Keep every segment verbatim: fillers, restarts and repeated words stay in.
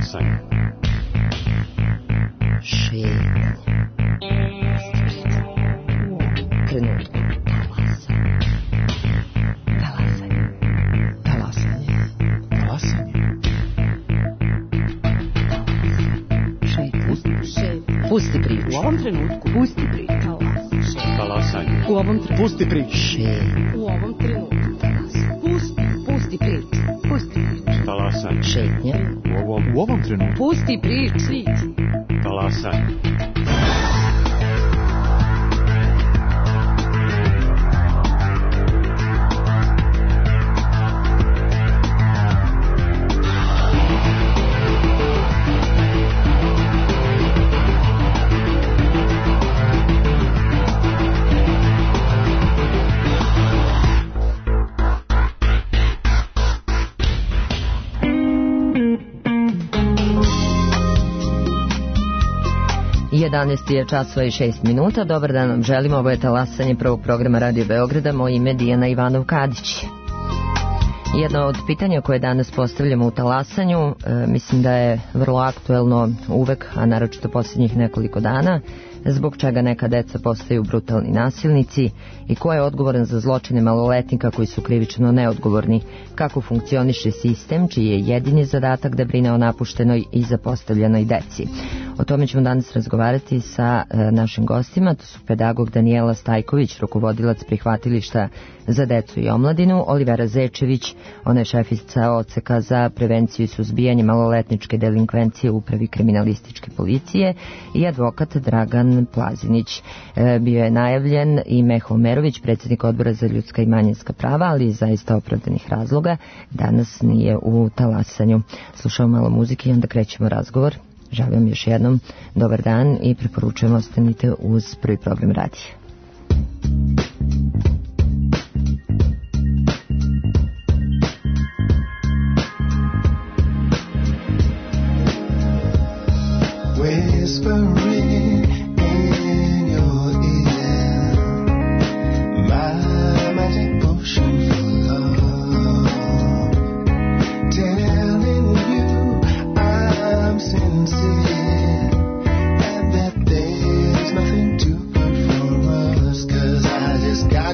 Talasanje. Šetnja. Trenutku. Talasanje. Talasanje. Talasanje. Pusti priču. U ovom trenutku. Pusti priču. Talasanje. U ovom trenutku. Pusti priču. U ovom trenutku. Pusti, pusti priču. Pusti priču. Talasanje. Šetnja. U ovom, u ovom trenutku. Pusti priču. Talasanje. jedanaest je časova i šest minuta. Dobar dan vam želimo. Ovo je Talasanje prvog programa Radio Beograda. Moje ime je Dijana Ivanov-Kadić. Jedno od pitanja koje danas postavljamo u Talasanju, e, mislim da je vrlo aktuelno uvek, a naročito posljednjih nekoliko dana, zbog čega neka deca postaju brutalni nasilnici i ko je odgovoran za zločine maloletnika koji su krivično neodgovorni, kako funkcioniše sistem čiji je jedini zadatak da brine o napuštenoj i zapostavljenoj deci. O tome ćemo danas razgovarati sa e, našim gostima. To su pedagog Danijela Stajković, rukovodilac prihvatilišta za decu i omladinu, Olivera Zečević, ona je šefica odseka za prevenciju i suzbijanje maloletničke delinkvencije u upravi kriminalističke policije, i advokat Dragan Plazinić. E, bio je najavljen i Meho Omerović, predsjednik odbora za ljudska i manjinska prava, ali iz zaista opravdanih razloga danas nije u Talasanju. Slušamo malo muzike i onda krećemo razgovor. Želim još jednom dobar dan i preporučujemo ostanite uz prvi program radija. Whispering in your ear, my magic potion for love, telling you I'm sincere and that there's nothing too good for us, 'cause I just got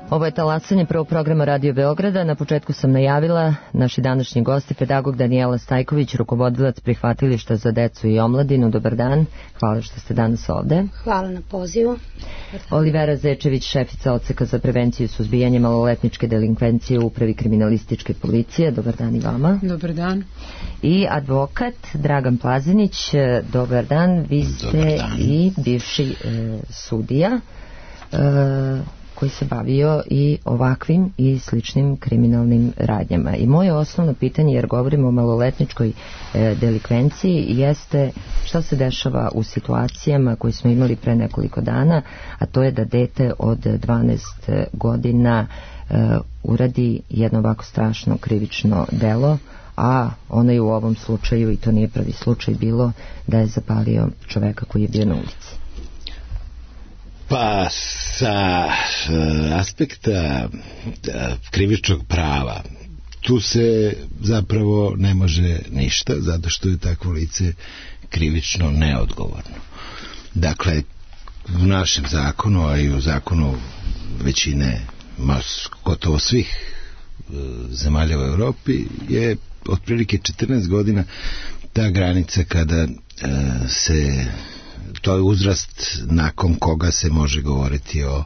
Ovo je talasanje prvog programa Radio Beograda. Na početku sam najavila naši današnji gosti, pedagog Danijela Stajković, rukovodilac prihvatilišta za decu i omladinu. Dobar dan, hvala što ste danas ovde. Hvala na pozivu. Olivera Zečević, šefica odseka za prevenciju i suzbijanje maloletničke delinkvencije u Upravi kriminalističke policije. Dobar dan i vama. Dobar dan. I advokat Dragan Plazinić. Dobar dan, vi ste i bivši e, sudija e, koji se bavio i ovakvim i sličnim kriminalnim radnjama. I moje osnovno pitanje, jer govorimo o maloletničkoj e, delikvenciji, jeste šta se dešava u situacijama koje smo imali pre nekoliko dana, a to je da dete od dvanaest godina e, uradi jedno ovako strašno krivično delo, a ono je u ovom slučaju, i to nije prvi slučaj bilo, da je zapalio čoveka koji je bio na ulici. Pa sa aspekta krivičnog prava tu se zapravo ne može ništa, zato što je takvo lice krivično neodgovorno. Dakle, u našem zakonu, a i u zakonu većine, gotovo svih zemalja u Evropi, je otprilike četrnaest godina ta granica kada se, to je uzrast nakon koga se može govoriti o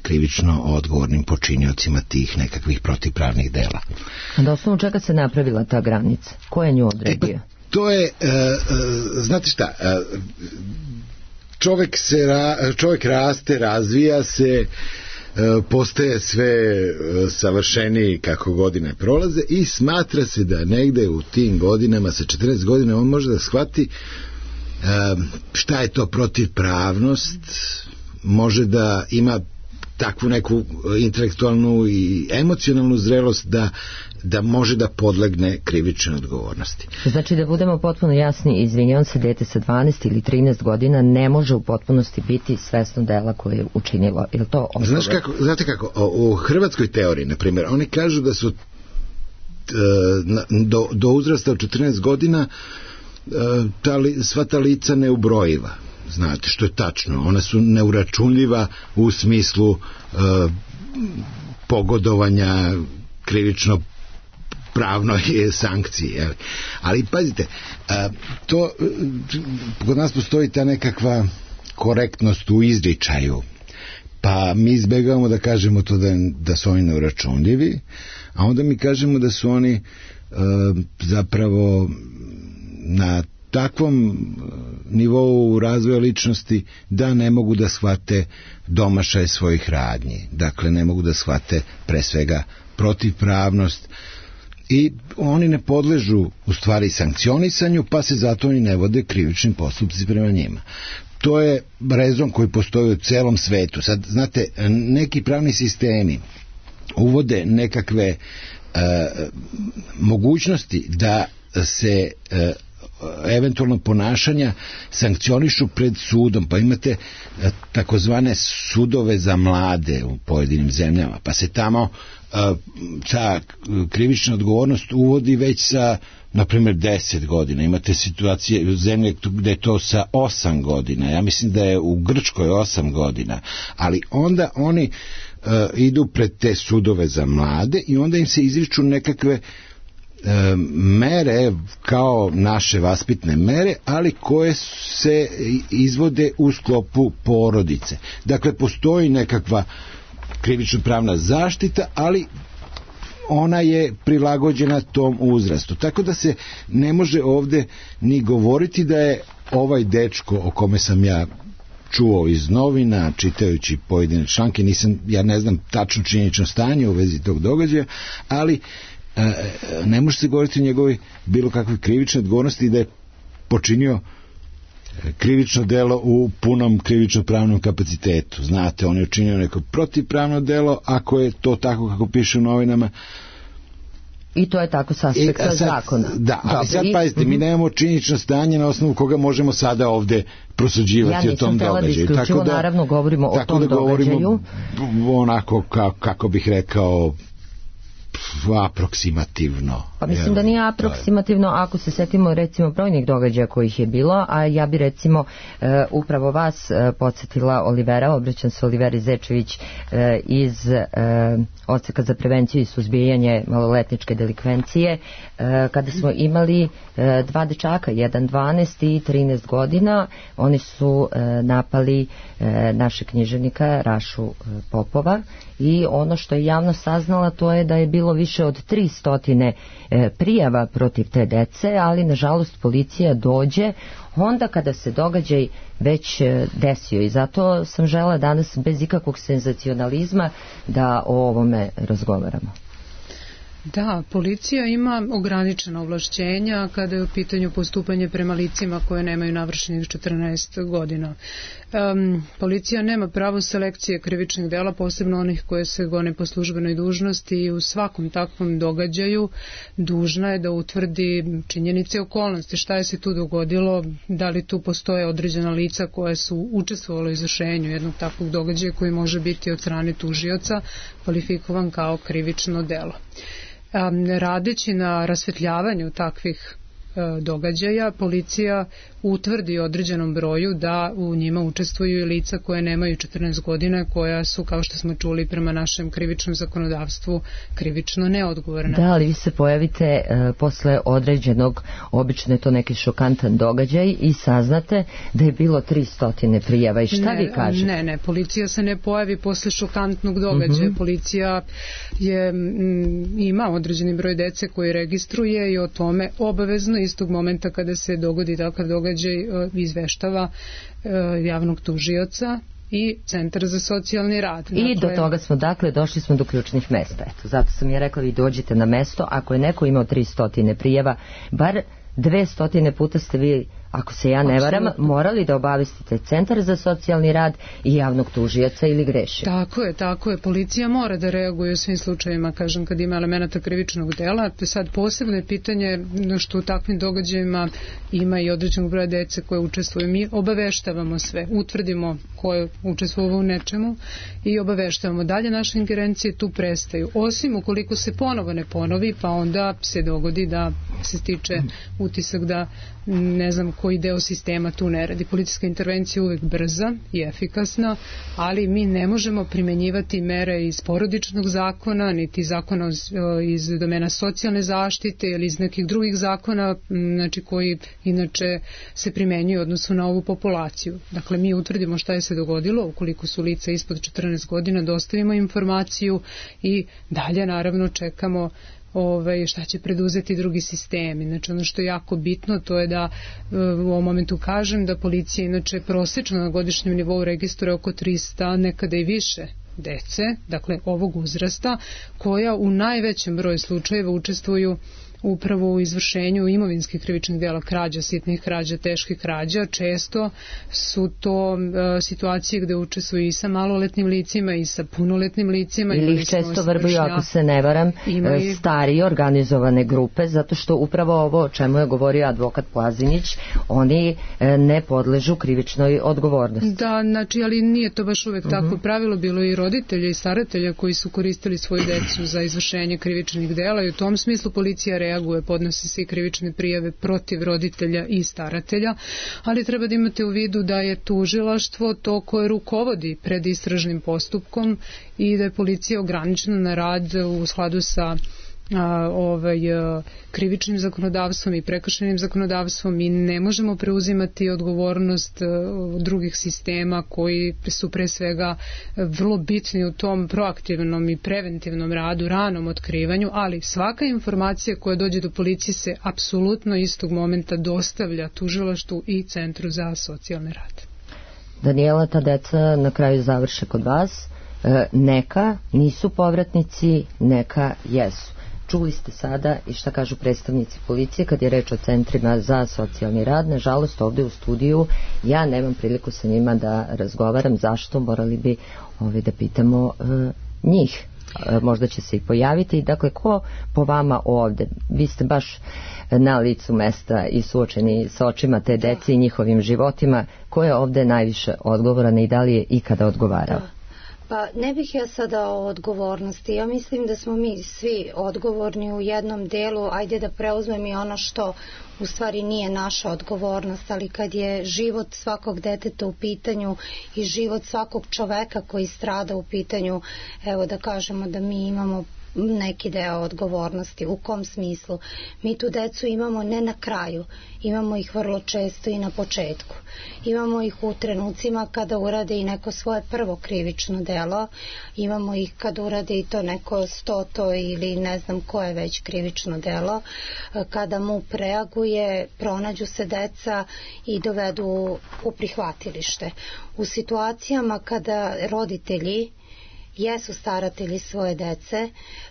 krivično odgovornim počiniocima tih nekakvih protivpravnih dela. A da osnovu čega se napravila ta granica? Ko je nju odredio? E, to je, uh, uh, znate šta, uh, čovjek, se ra, čovjek raste, razvija se, uh, postaje sve uh, savršeniji kako godine prolaze i smatra se da negde u tim godinama, sa četrnaest godina, on može da shvati šta je to protivpravnost, može da ima takvu neku intelektualnu i emocionalnu zrelost da, da može da podlegne krivičnoj odgovornosti. Znači, da budemo potpuno jasni, izvinjavam se, dete sa dvanaest ili trinaest godina ne može u potpunosti biti svesno dela koje je učinilo. Je li to odgovor? Znaš kako, znate kako, u hrvatskoj teoriji, na primjer, oni kažu da su do, do uzrasta od četrnaest godina ta li, sva ta lica neubrojiva, znate, što je tačno, ona su neuračunljiva u smislu uh, pogodovanja krivično pravnoj sankciji, jel? Ali pazite, uh, to uh, kod nas postoji ta nekakva korektnost u izričaju, pa mi izbegavamo da kažemo to da, da su oni neuračunljivi, a onda mi kažemo da su oni uh, zapravo na takvom nivou razvoja ličnosti da ne mogu da shvate domašaj svojih radnji. Dakle, ne mogu da shvate pre svega protivpravnost i oni ne podležu u stvari sankcionisanju, pa se zato oni ne vode krivičnim postupci prema njima. To je rezon koji postoji u celom svetu. Sad, znate, neki pravni sistemi uvode nekakve uh, mogućnosti da se uh, eventualno ponašanja sankcionišu pred sudom, pa imate takozvane sudove za mlade u pojedinim zemljama, pa se tamo ta krivična odgovornost uvodi već sa, na primjer, deset godina. Imate situacije u zemlje gde je to sa osam godina. Ja mislim da je u Grčkoj osam godina. Ali onda oni uh, idu pred te sudove za mlade i onda im se izriču nekakve E, mere kao naše vaspitne mere, ali koje se izvode u sklopu porodice. Dakle, postoji nekakva krivično pravna zaštita, ali ona je prilagođena tom uzrastu. Tako da se ne može ovde ni govoriti da je ovaj dečko o kome sam ja čuo iz novina, čitajući pojedine članke, nisam, ja ne znam tačno činjenično stanje u vezi tog događaja, ali ne može se govoriti o njegovoj bilo kakvoj krivičnoj odgovornosti da je počinio krivično delo u punom krivično pravnom kapacitetu. Znate, on je učinio neko protivpravno delo, ako je to tako kako piše u novinama. I to je tako s aspekta e, sad, zakona. Da, ali sad pazite, mi nemamo činjenično stanje na osnovu koga možemo sada ovde prosuđivati ja o tom događaju. Ja nisam da naravno govorimo o tom da događaju. Onako, ka, kako bih rekao, aproksimativno. Pa mislim da nije aproksimativno ako se setimo recimo brojnih događaja kojih je bilo, a ja bi recimo e, upravo vas e, podsjetila Olivera, obraćam se Oliveri Zečević e, iz e, Odseka za prevenciju i suzbijanje maloletničke delikvencije, e, kada smo imali e, dva dečaka, jedan dvanaest i trinaest godina, oni su e, napali e, naše književnika Rašu e, Popova i ono što je javno saznala to je da je bilo više od tri stotine e, prijava protiv te dece, ali nažalost policija dođe onda kada se događaj već e, desio i zato sam žela danas bez ikakvog senzacionalizma da o ovome razgovaramo. Da, policija ima ograničena ovlašćenja kada je u pitanju postupanje prema licima koje nemaju navršenih četrnaest godina. Um, policija nema pravo selekcije krivičnih dela, posebno onih koje se gone po službenoj dužnosti i u svakom takvom događaju dužna je da utvrdi činjenice i okolnosti, šta je se tu dogodilo, da li tu postoje određena lica koje su učestvovalo u izvršenju jednog takvog događaja koji može biti od strane tužioca kvalifikovan kao krivično delo. Um, radeći na rasvetljavanju takvih uh, događaja, policija utvrdi određenom broju da u njima učestvuju i lica koje nemaju četrnaest godina, koja su, kao što smo čuli, prema našem krivičnom zakonodavstvu krivično neodgovorna. Da, ali vi se pojavite e, posle određenog, obično je to neki šokantan događaj i saznate da je bilo tri stotine prijava i šta ne, vi kažete? Ne, ne, policija se ne pojavi posle šokantnog događaja. Uh-huh. Policija je, m, ima određeni broj dece koji registruje i o tome obavezno istog momenta kada se dogodi takav događaj izveštava javnog tužioca i Centar za socijalni rad. I dakle, do toga smo, dakle, došli smo do ključnih mesta. Eto, zato sam ja rekla, vi dođete na mesto, ako je neko imao tri stotine prijava, bar dve stotine puta ste vi, ako se ja ne varam, morali da obavestite Centar za socijalni rad i javnog tužioca ili greši. Tako je, tako je. Policija mora da reaguje u svim slučajevima, kažem, kad ima elemenata krivičnog dela. Sad posebno je pitanje što u takvim događajima ima i određenog broja dece koje učestvuju. Mi obaveštavamo sve, utvrdimo ko je učestvovao u nečemu i obaveštavamo. Dalje naše ingerencije tu prestaju. Osim ukoliko se ponovo ne ponovi, pa onda se dogodi da se stiče utisak da ne znam koji deo sistema tu ne radi. Policijska intervencija je uvijek brza i efikasna, ali mi ne možemo primenjivati mere iz porodičnog zakona, niti zakona iz domena socijalne zaštite ili iz nekih drugih zakona, znači koji inače se primenjuju u odnosu na ovu populaciju. Dakle, mi utvrdimo šta je se dogodilo, ukoliko su lica ispod četrnaest godina, dostavimo informaciju i dalje naravno čekamo Ove, šta će preduzeti drugi sistemi. Znači ono što je jako bitno to je da u ovom momentu kažem da policija inače prosečno na godišnjem nivou registruje oko trista, nekada i više dece, dakle ovog uzrasta, koja u najvećem broju slučajeva učestvuju upravo u izvršenju imovinskih krivičnih dela, krađa, sitnih krađa, teških krađa. Često su to e, situacije gde učestvuju i sa maloletnim licima i sa punoletnim licima. Ili ih često vrbuju, ako se ne varam, i... starije organizovane grupe, zato što upravo ovo o čemu je govorio advokat Plazinić, oni e, ne podležu krivičnoj odgovornosti. Da, znači, ali nije to baš uvek uh-huh. tako pravilo, bilo i roditelja i staratelja koji su koristili svoju decu za izvršenje krivičnih dela i u tom smislu policija reaguje, podnosi se i krivične prijave protiv roditelja i staratelja, ali treba da imate u vidu da je tužilaštvo to koje rukovodi pred istražnim postupkom i da je policija ograničena na rad u skladu sa A, ovaj, krivičnim zakonodavstvom i prekršajnim zakonodavstvom i ne možemo preuzimati odgovornost drugih sistema koji su pre svega vrlo bitni u tom proaktivnom i preventivnom radu, ranom otkrivanju, ali svaka informacija koja dođe do policije se apsolutno istog momenta dostavlja tužilaštvu i Centru za socijalni rad. Daniela, ta deca na kraju završe kod vas, neka nisu povratnici, neka jesu. Čuli ste sada i šta kažu predstavnici policije kad je reč o centrima za socijalni rad. Nažalost, ovdje u studiju ja nemam priliku sa njima da razgovaram. Zašto? Morali bi ovaj, da pitamo e, njih. E, možda će se i pojaviti. Dakle, ko po vama ovdje? Vi ste baš na licu mesta i suočeni sa očima te dece i njihovim životima. Ko je ovdje najviše odgovoran i da li je ikada odgovarao? Pa ne bih ja sada o odgovornosti. Ja mislim da smo mi svi odgovorni u jednom delu. Ajde da preuzmem i ono što u stvari nije naša odgovornost, ali kad je život svakog deteta u pitanju i život svakog čoveka koji strada u pitanju, evo da kažemo da mi imamo neki deo odgovornosti. U kom smislu? Mi tu decu imamo ne na kraju, imamo ih vrlo često i na početku. Imamo ih u trenucima kada urade i neko svoje prvo krivično delo, imamo ih kad urade i to neko stoto ili ne znam koje već krivično delo, kada mu preaguje, pronađu se deca i dovedu u prihvatilište. U situacijama kada roditelji jesu staratelji svoje dece,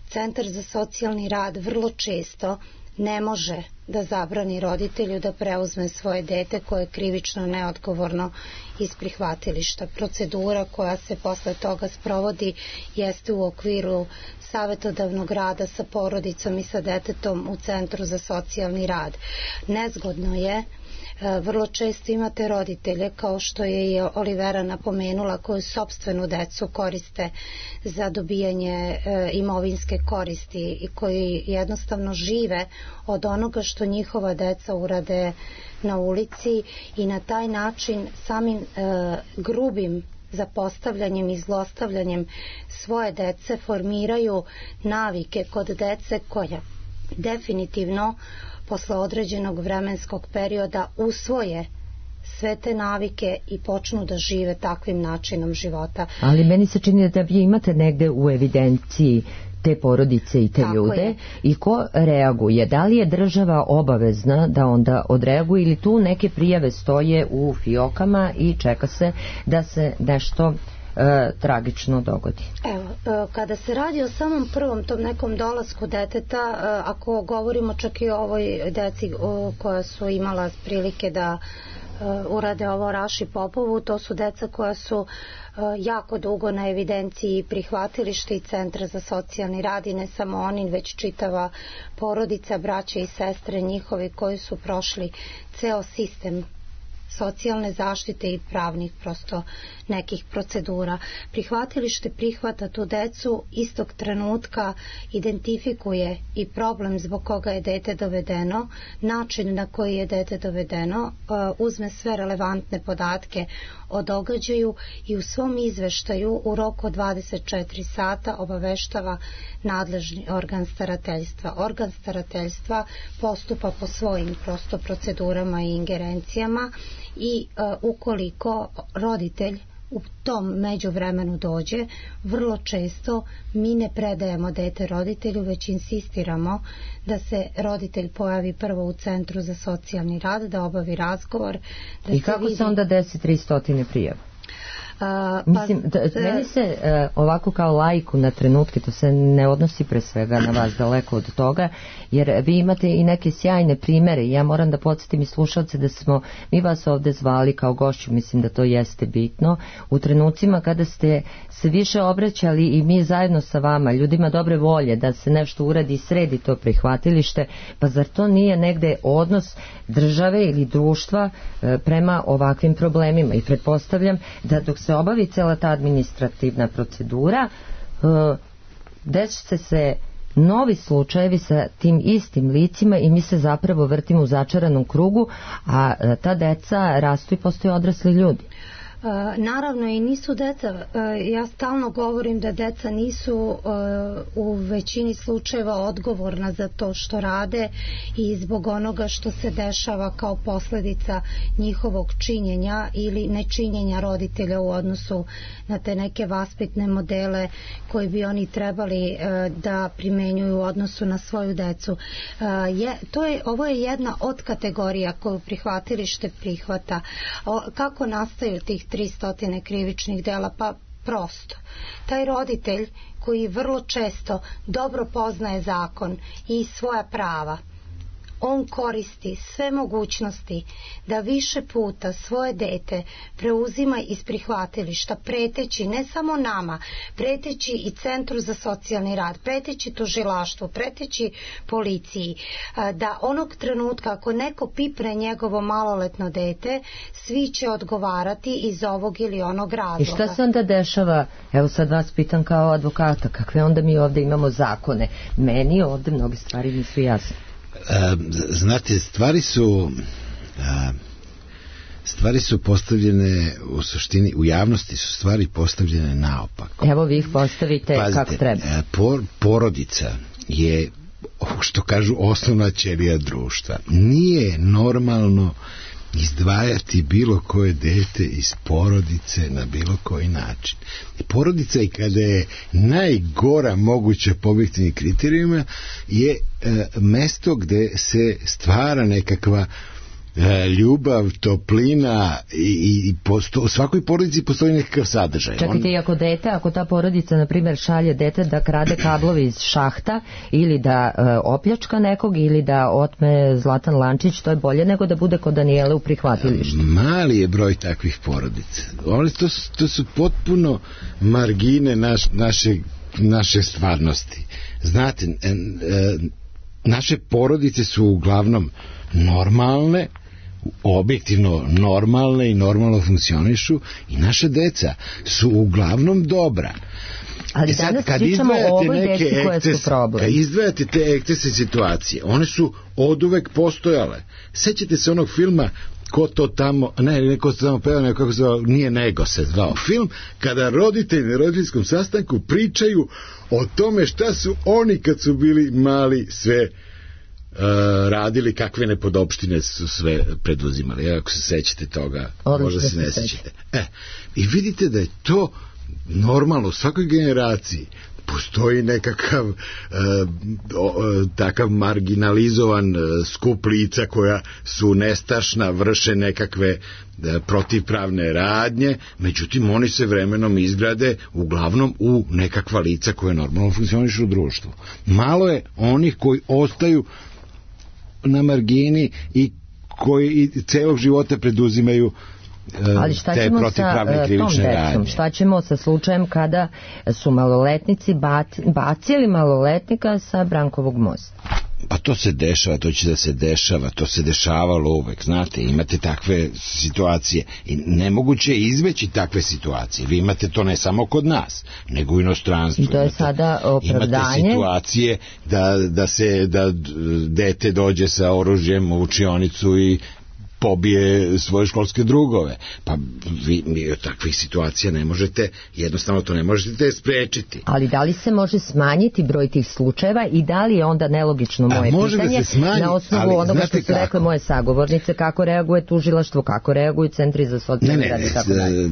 Centar za socijalni rad vrlo često ne može da zabrani roditelju da preuzme svoje dete koje je krivično neodgovorno iz prihvatilišta. Procedura koja se posle toga sprovodi jeste u okviru savetodavnog rada sa porodicom i sa detetom u Centru za socijalni rad. Nezgodno je, vrlo često imate roditelje, kao što je i Olivera napomenula, koji sopstvenu decu koriste za dobijanje imovinske koristi i koji jednostavno žive od onoga što njihova deca urade na ulici i na taj način samim grubim zapostavljanjem i zlostavljanjem svoje dece formiraju navike kod dece koja definitivno posle određenog vremenskog perioda usvoje sve te navike i počnu da žive takvim načinom života. Ali meni se čini da vi imate negde u evidenciji te porodice i te Tako ljude je. I ko reaguje? Da li je država obavezna da onda odreaguje ili tu neke prijave stoje u fiokama i čeka se da se nešto E, tragično dogodi? Evo, e, kada se radi o samom prvom tom nekom dolasku deteta, e, ako govorimo čak i o ovoj deci o, koja su imala prilike da e, urade ovo Raši Popovu, to su deca koja su e, jako dugo na evidenciji prihvatilišta i Centra za socijalni rad i ne samo oni, već čitava porodica, braće i sestre njihovi koji su prošli ceo sistem socijalne zaštite i pravnih prosto nekih procedura. Prihvatilište prihvata tu decu, istog trenutka identifikuje i problem zbog koga je dete dovedeno, način na koji je dete dovedeno, uzme sve relevantne podatke o događaju i u svom izveštaju u roku od dvadeset četiri sata obaveštava nadležni organ starateljstva. Organ starateljstva postupa po svojim prosto procedurama i ingerencijama i uh, ukoliko roditelj u tom međuvremenu dođe, vrlo često mi ne predajemo dete roditelju, već insistiramo da se roditelj pojavi prvo u Centru za socijalni rad, da obavi razgovor. Da I se kako vidi... se onda desi tristo prijava? Uh, pa, Mislim, da, meni se uh, ovako kao laiku na trenutke, to se ne odnosi pre svega na vas, daleko od toga, jer vi imate i neke sjajne primere i ja moram da podsjetim i slušalce da smo mi vas ovde zvali kao gošću, mislim da to jeste bitno, u trenucima kada ste se više obraćali i mi zajedno sa vama, ljudima dobre volje da se nešto uradi i sredi to prihvatilište, pa zar to nije negde odnos države ili društva uh, prema ovakvim problemima i pretpostavljam da dok se obavi cela ta administrativna procedura, desit se novi slučajevi sa tim istim licima i mi se zapravo vrtimo u začaranom krugu, a ta deca rastu i postaju odrasli ljudi. Naravno i nisu deca, ja stalno govorim da deca nisu u većini slučajeva odgovorna za to što rade i zbog onoga što se dešava kao posledica njihovog činjenja ili nečinjenja roditelja u odnosu na te neke vaspitne modele koji bi oni trebali da primenjuju u odnosu na svoju decu. Je, to je, ovo je jedna od kategorija koju prihvatilište prihvata. O, kako nastaju tih tristo krivičnih dela? Pa prosto. Taj roditelj koji vrlo često dobro poznaje zakon i svoja prava, on koristi sve mogućnosti da više puta svoje dete preuzima iz prihvatilišta, preteći ne samo nama, preteći i Centru za socijalni rad, preteći tužilaštvu, preteći policiji, da onog trenutka ako neko pipne njegovo maloletno dete, svi će odgovarati iz ovog ili onog razloga. I šta se onda dešava? Evo sad vas pitam kao advokata, kakve onda mi ovde imamo zakone? Meni ovde mnoge stvari nisu jasne. Znate, stvari su stvari su postavljene u suštini, u javnosti su stvari postavljene naopako. Evo vi ih postavite. Pazite, kako treba. Por, porodica je, što kažu, osnovna ćelija društva. Nije normalno izdvajati bilo koje dete iz porodice na bilo koji način. Porodica, i kada je najgora moguća po objektivnim kriterijima, je e, mesto gde se stvara nekakva e, ljubav, toplina i, i posto, u svakoj porodici postoji nekakav sadržaj. Čekajte, i ako dete, ako ta porodica, na primjer, šalje dete da krade kablovi iz šahta ili da e, opljačka nekog ili da otme zlatan lančić, to je bolje nego da bude kod Danijele u prihvatilištu. Mali je broj takvih porodica. Oni, to, su, to su potpuno margine naš, naše, naše stvarnosti. Znate, e, e, naše porodice su uglavnom normalne, objektivno normalne i normalno funkcionišu, i naša deca su uglavnom dobra. Ali e sad, danas kad pričamo o ovoj deci koje su problem. Kad izdvajate te ekcesne situacije, one su oduvek postojale. Sećate se onog filma Ko to tamo, ne, neko se tamo peva, kako se zvao, nije Nego se zvao film, kada roditelji na roditeljskom sastanku pričaju o tome šta su oni kad su bili mali sve Uh, radili, kakve nepodopštine su sve preduzimali. Ja, ako se sećate toga, odlično, možda se ne sećate. E, i vidite da je to normalno u svakoj generaciji. Postoji nekakav uh, o, takav marginalizovan uh, skup lica koja su nestašna, vrše nekakve uh, protivpravne radnje, međutim oni se vremenom izgrade uglavnom u nekakva lica koje normalno funkcionišu u društvu. Malo je onih koji ostaju na margini i koji celog života preduzimaju Ali šta ćemo sa tom decom? Šta ćemo sa slučajem kada su maloletnici bacili maloletnika sa Brankovog mosta? Pa to se dešava, to će da se dešava, to se dešavalo uvek, znate, imate takve situacije i nemoguće je izbeći takve situacije. Vi imate to ne samo kod nas, nego u inostranstvu. I to je imate, sada opravdanje. Imate situacije da, da se da dete dođe sa oružjem u učionicu i pobije svoje školske drugove. Pa vi, vi od takvih situacija ne možete, jednostavno to ne možete sprečiti. Ali da li se može smanjiti broj tih slučajeva i da li je onda nelogično moje pitanje, da smanji, na osnovu onoga što su kako? rekle moje sagovornice, kako reaguje tužilaštvo, kako reaguju centri za socijalni rad i tako dalje.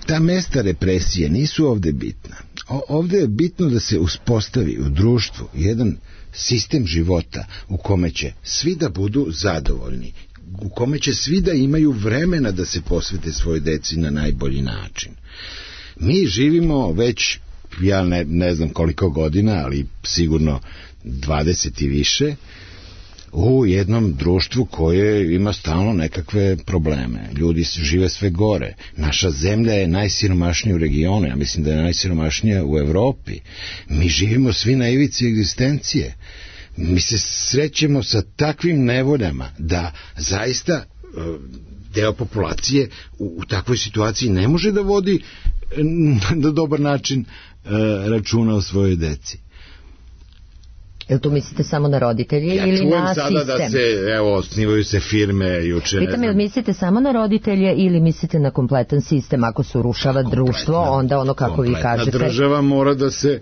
Ta mesta represije nisu ovde bitna. O, ovde je bitno da se uspostavi u društvu jedan sistem života u kome će svi da budu zadovoljni, u kome će svi da imaju vremena da se posvete svojoj deci na najbolji način. Mi živimo već, ja ne, ne znam koliko godina, ali sigurno dvadeset i više, u jednom društvu koje ima stalno nekakve probleme. Ljudi žive sve gore. Naša zemlja je najsiromašnija u regionu, ja mislim da je najsiromašnija u Evropi. Mi živimo svi na ivici egzistencije. Mi se srećemo sa takvim nevoljama da zaista deo populacije u, u takvoj situaciji ne može da vodi na dobar način računa o svojoj deci. Jel tu mislite samo na roditelje ja ili na sistem? Ja čujem sada da se, evo, osnivaju se firme juče. Pitam, jel mislite samo na roditelje ili mislite na kompletan sistem? Ako se urušava društvo, onda ono kako vi kažete... Kompletna država mora da se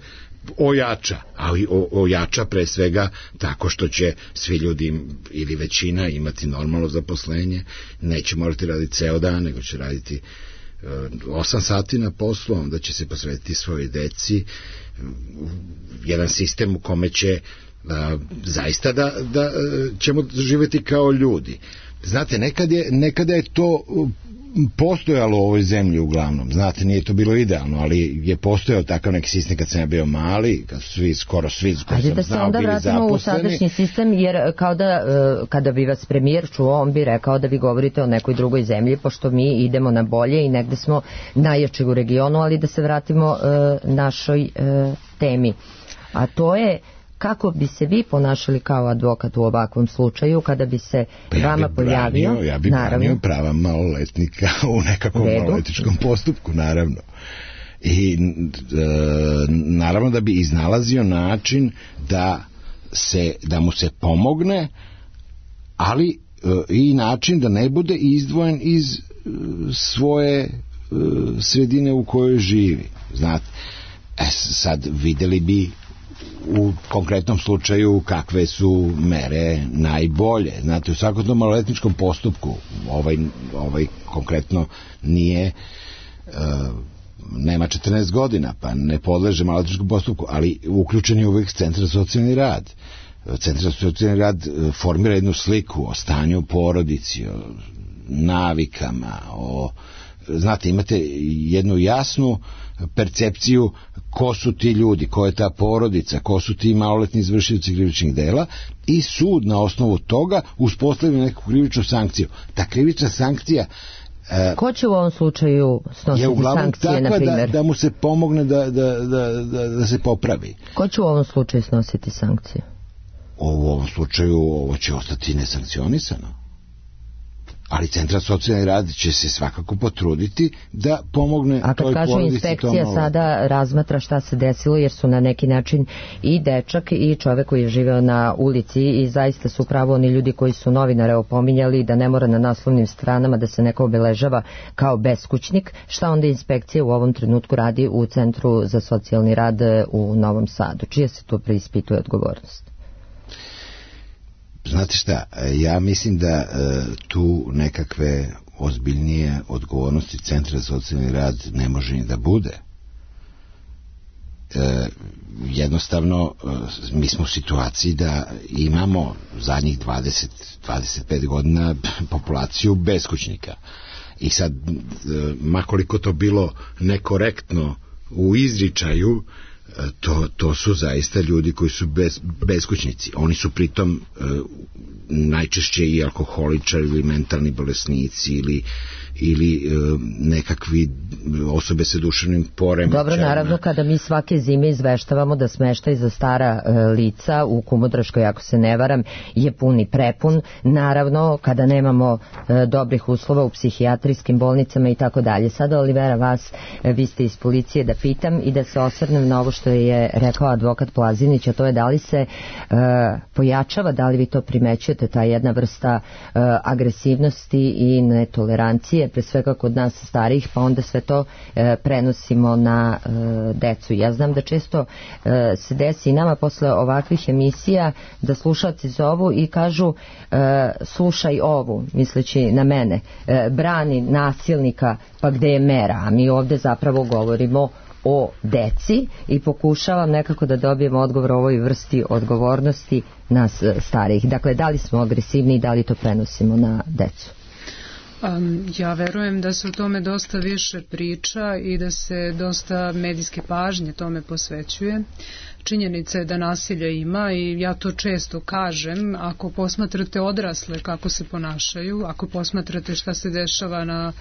ojača, ali ojača pre svega tako što će svi ljudi ili većina imati normalno zaposlenje, neće morati raditi ceo dan, nego će raditi osam sati na poslu, onda će se posvetiti svojoj deci, jedan sistem u kome će a, zaista da, da ćemo živjeti kao ljudi. znate, nekad je, nekada je to postojalo u ovoj zemlji uglavnom, znate, nije to bilo idealno, ali je postojao takav neki sistem kad sam ja bio mali, kad su svi, skoro svi koji Ajde sam da se znao onda bili vratimo zaposleni. u sadašnji sistem, jer kao da e, kada bi vas premijer čuo, on bi rekao da vi govorite o nekoj drugoj zemlji, pošto mi idemo na bolje i negde smo najjači u regionu, ali da se vratimo e, našoj e, temi. A to je kako bi se vi ponašali kao advokat u ovakvom slučaju kada bi se Pa ja vama bi pojavio, branio, ja bi branio prava maloletnika u nekakvom maloletičkom postupku, naravno. I e, naravno da bi iznalazio način da se da mu se pomogne, ali e, i način da ne bude izdvojen iz e, svoje e, sredine u kojoj živi. Znate, e, sad videli bi u konkretnom slučaju kakve su mere najbolje. Znate, u svakom tom maloletničkom postupku ovaj, ovaj konkretno nije uh, nema četrnaest godina, pa ne podleže maloletničkom postupku, ali uključen je uvijek Centar za socijalni rad. Centar za socijalni rad formira jednu sliku o stanju u porodici, o navikama, o znate, imate jednu jasnu percepciju ko su ti ljudi, ko je ta porodica, ko su ti maloletni izvršioci krivičnih dela i sud na osnovu toga uspostavlja neku krivičnu sankciju. Ta krivična sankcija e, ko će u ovom slučaju snositi sankcije, na primjer? Da, da mu se pomogne da, da, da, da, da se popravi. Ko će u ovom slučaju snositi sankcije? U ovom slučaju ovo će ostati nesankcionisano. Ali Centar za socijalni rad će se svakako potruditi da pomogne toj porodici. A kad kaže inspekcija sada razmatra šta se desilo, jer su na neki način i dečak i čovek koji je živeo na ulici i zaista su pravo oni ljudi koji su novinare opominjali da ne mora na naslovnim stranama da se neko obeležava kao beskućnik, šta onda inspekcija u ovom trenutku radi u Centru za socijalni rad u Novom Sadu? Čija se tu preispituje odgovornost? Znate šta, ja mislim da e, tu nekakve ozbiljnije odgovornosti Centra za socijalni rad ne može ni da bude. E, jednostavno, e, mi smo u situaciji da imamo zadnjih dvadeset do dvadeset pet godina populaciju beskućnika. I sad, e, makoliko to bilo nekorektno u izričaju, To, to su zaista ljudi koji su bez, beskućnici. Oni su pritom e, najčešće i alkoholičari ili mentalni bolesnici ili, ili e, nekakvi osobe sa duševnim poremećajima. Dobro, naravno, kada mi svake zime izveštavamo da smeštaj za stara e, lica u Kumodraškoj, ako se ne varam, je pun i prepun. Naravno, kada nemamo e, dobrih uslova u psihijatrijskim bolnicama i tako dalje. Sada, Olivera, vas, e, vi ste iz policije, da pitam i da se osvrnem na ovo što je rekao advokat Plazinić, a to je da li se e, pojačava, da li vi to primećujete, ta jedna vrsta e, agresivnosti i netolerancije, pre svega kod nas starijih, pa onda sve to e, prenosimo na e, decu. Ja znam da često e, se desi i nama posle ovakvih emisija da slušalci zovu i kažu e, slušaj ovu, misleći na mene, e, brani nasilnika, pa gde je mera? A mi ovde zapravo govorimo o deci i pokušavam nekako da dobijem odgovor o ovoj vrsti odgovornosti nas starijih. Dakle, da li smo agresivni i da li to prenosimo na decu? Um, ja verujem da se o tome dosta više priča i da se dosta medijske pažnje tome posvećuje. Činjenica je da nasilja ima i ja to često kažem, ako posmatrate odrasle kako se ponašaju, ako posmatrate šta se dešava na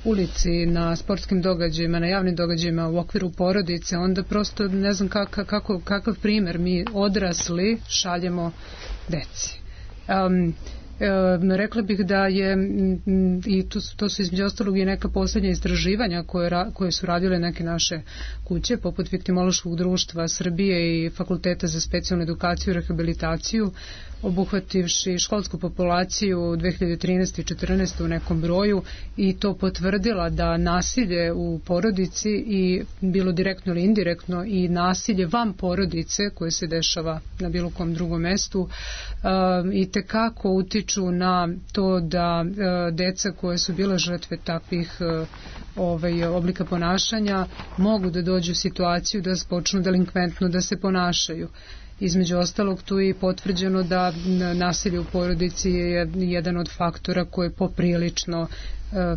ulici, na sportskim događajima, na javnim događajima u okviru porodice, onda prosto ne znam kakav, kako, kakav primer mi odrasli šaljemo deci. Um, E, rekla bih da je m, i to, to su između ostalog i neka posljednja istraživanja koje, ra, koje su radile neke naše kuće poput Viktimološkog društva Srbije i Fakulteta za specijalnu edukaciju i rehabilitaciju, obuhvativši školsku populaciju dve hiljade trinaeste i četrnaeste u nekom broju i to potvrdila da nasilje u porodici i bilo direktno ili indirektno i nasilje van porodice koje se dešava na bilo kom drugom mestu um, i tekako utiču na to da uh, deca koje su bile žrtve takvih uh, ovaj, oblika ponašanja mogu da dođu u situaciju da počnu delinkventno da se ponašaju. Između ostalog tu je potvrđeno da nasilje u porodici je jedan od faktora koji je poprilično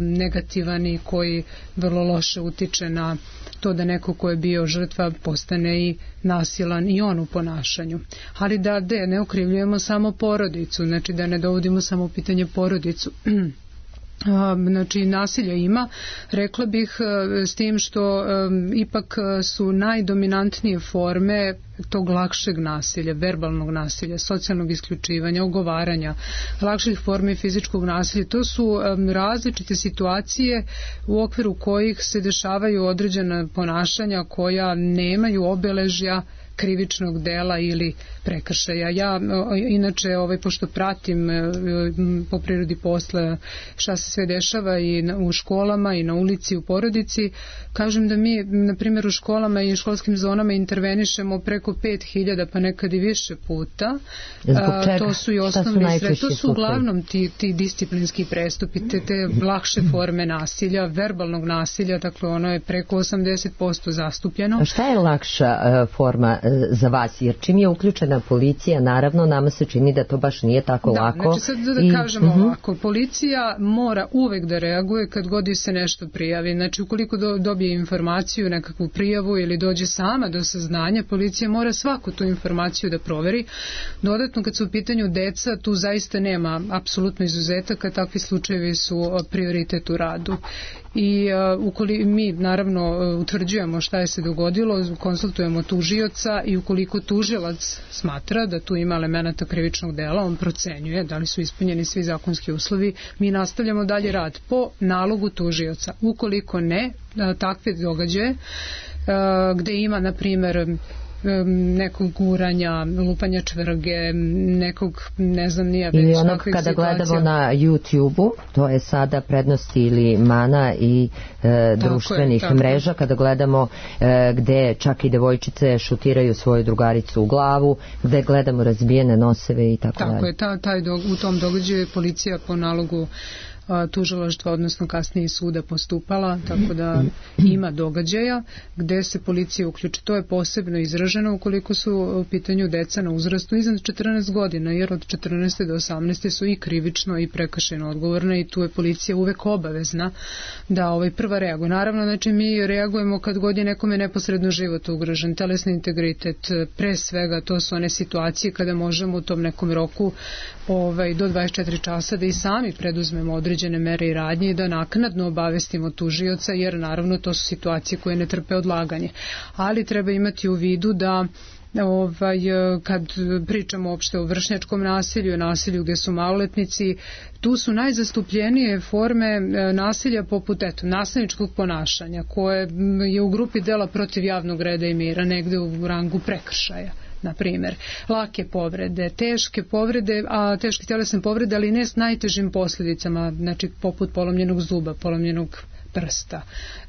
negativan i koji vrlo loše utiče na to da neko ko je bio žrtva postane i nasilan i on u ponašanju. Ali da de, ne okrivljujemo samo porodicu, znači da ne dovodimo samo u pitanje porodicu. Znači nasilja ima, rekla bih, s tim što um, ipak su najdominantnije forme tog lakšeg nasilja, verbalnog nasilja, socijalnog isključivanja, ogovaranja, lakših formi fizičkog nasilja. To su um, različite situacije u okviru kojih se dešavaju određena ponašanja koja nemaju obeležja krivičnog dela ili prekršaja. Ja inače, ovaj, pošto pratim po prirodi posla šta se sve dešava i u školama i na ulici, u porodici, kažem da mi, na primjer, u školama i školskim zonama intervenišemo preko pet hiljada, pa nekad i više puta. A, to su i osnovni sred, to su uglavnom ti, ti disciplinski prestupi, te, te lakše forme nasilja, verbalnog nasilja, dakle ono je preko osamdeset posto zastupljeno. A šta je lakša uh, forma uh, za vas? Jer čim je uključena policija, naravno, nama se čini da to baš nije tako da, lako. Znači sad da I, kažemo uh-huh. ovako, policija mora uvek da reaguje kad god se nešto prijavi. Znači ukoliko do, dobije informaciju, nekakvu prijavu ili dođe sama do saznanja, policija mora svaku tu informaciju da proveri. Dodatno kad su u pitanju deca, tu zaista nema apsolutno izuzetaka, takvi slučajevi su prioritet u radu. I uh, ukoliko mi naravno uh, utvrđujemo šta je se dogodilo, konsultujemo tužioca i ukoliko tužilac smatra da tu ima elemenata krivičnog dela, on procenjuje da li su ispunjeni svi zakonski uslovi, mi nastavljamo dalje rad po nalogu tužioca. Ukoliko ne, uh, takve događaje uh, gde ima, na primjer, nekog guranja, lupanja čvrge, nekog, ne znam, nije već ili onog kada situacija. Gledamo na YouTube-u, to je sada prednosti ili mana i e, društvenih je, mreža, kada gledamo e, gde čak i devojčice šutiraju svoju drugaricu u glavu, gde gledamo razbijene noseve i tako, tako dalje. Tako je, ta, taj do, u tom događaju je policija po nalogu tužilaštva, odnosno kasnije suda postupala, tako da ima događaja gde se policija uključi. To je posebno izraženo ukoliko su u pitanju deca na uzrastu iznad četrnaest godina, jer od četrnaeste do osamnaeste su i krivično i prekršajno odgovorne i tu je policija uvek obavezna da ovaj prva reaguje. Naravno, znači mi reagujemo kad god je nekome neposredno život ugrožen, telesni integritet, pre svega to su one situacije kada možemo u tom nekom roku ovaj, do dvadeset četiri časa da i sami preduzmemo određene mere i radnje i da naknadno obavestimo tužioca, jer naravno to su situacije koje ne trpe odlaganje. Ali treba imati u vidu da ovaj, kad pričamo uopšte o vršnjačkom nasilju, nasilju gde su maloletnici, tu su najzastupljenije forme nasilja poput eto, nasilničkog ponašanja koje je u grupi dela protiv javnog reda i mira, negde u rangu prekršaja. Na primjer, lake povrede, teške povrede, a teške tjelesne povrede, ali ne s najtežim posljedicama, znači poput polomljenog zuba, polomljenog prsta,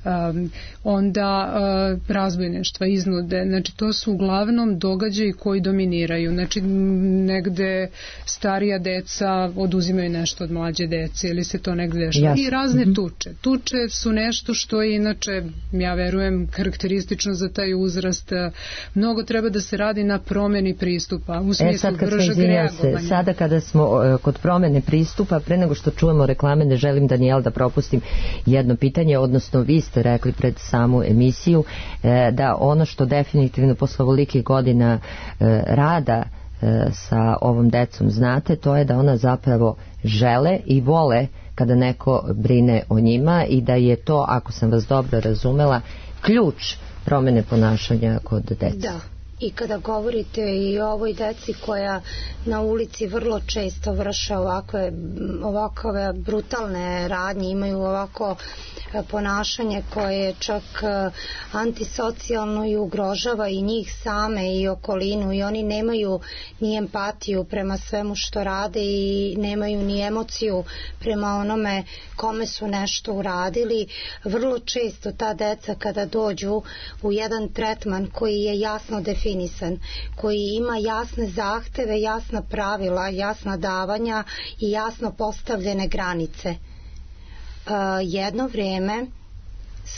um, onda uh, razbojništva, iznude, znači to su uglavnom događaji koji dominiraju, znači negde starija deca oduzimaju nešto od mlađe dece ili se to negde dešava. Jasne. I razne tuče. Tuče su nešto što je inače, ja verujem, karakteristično za taj uzrast. Mnogo treba da se radi na promjeni pristupa, u smislu e, bržeg reagovanja. Se, sada kada smo uh, kod promjene pristupa, pre nego što čujemo reklame, ne želim, Danijel, da propustim jedno pitanje. Pitanje, odnosno vi ste rekli pred samu emisiju e, da ono što definitivno posle ovolikih godina e, rada e, sa ovom decom znate, to je da ona zapravo žele i vole kada neko brine o njima i da je to, ako sam vas dobro razumela, ključ promjene ponašanja kod dece. Da. I kada govorite i o ovoj deci koja na ulici vrlo često vrše ovakve, ovakve brutalne radnje, imaju ovako ponašanje koje je čak antisocijalno i ugrožava i njih same i okolinu i oni nemaju ni empatiju prema svemu što rade i nemaju ni emociju prema onome kome su nešto uradili. Vrlo često ta deca kada dođu u jedan tretman koji je jasno definisan, koji ima jasne zahteve, jasna pravila, jasna davanja i jasno postavljene granice. Uh, jedno vrijeme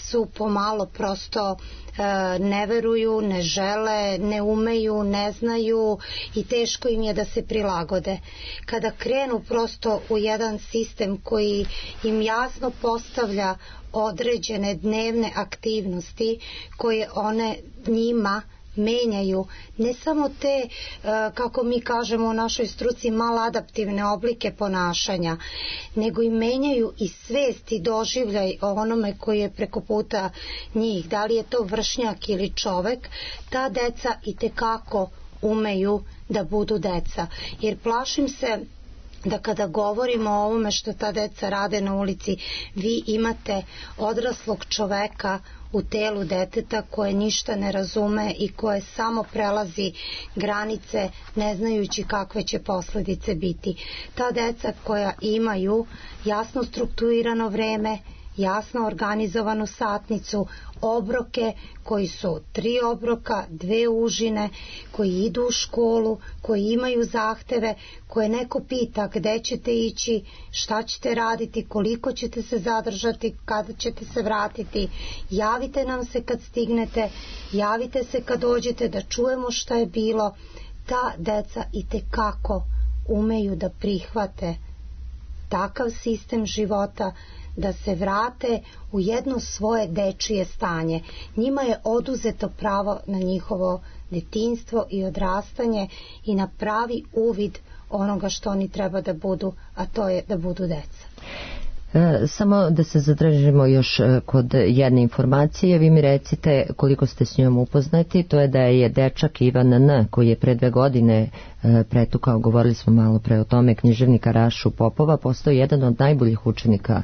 su pomalo prosto e, ne veruju, ne žele, ne umeju, ne znaju i teško im je da se prilagode. Kada krenu prosto u jedan sistem koji im jasno postavlja određene dnevne aktivnosti koje one njima menjaju, ne samo te, kako mi kažemo u našoj struci, maladaptivne oblike ponašanja, nego i menjaju i svest i doživljaj o onome koji je preko puta njih, da li je to vršnjak ili čovek, ta deca i tekako umeju da budu deca. Jer plašim se da kada govorimo o ovome što ta deca rade na ulici, vi imate odraslog čoveka u telu deteta koje ništa ne razume i koje samo prelazi granice ne znajući kakve će posledice biti. Ta deca koja imaju jasno strukturirano vreme, jasno organizovanu satnicu, obroke koji su tri obroka, dve užine, koji idu u školu, koji imaju zahteve, koje neko pita gde ćete ići, šta ćete raditi, koliko ćete se zadržati, kada ćete se vratiti, javite nam se kad stignete, javite se kad dođete da čujemo šta je bilo. Ta deca i tekako umeju da prihvate takav sistem života, da se vrate u jedno svoje dečije stanje. Njima je oduzeto pravo na njihovo detinjstvo i odrastanje i na pravi uvid onoga što oni treba da budu, a to je da budu deca. E, samo da se zadržimo još kod jedne informacije, vi mi recite koliko ste s njom upoznati. To je da je dečak Ivan N, koji je pre dve godine e, pretukao, govorili smo malo pre o tome, književnika Rašu Popova, postao jedan od najboljih učenika e,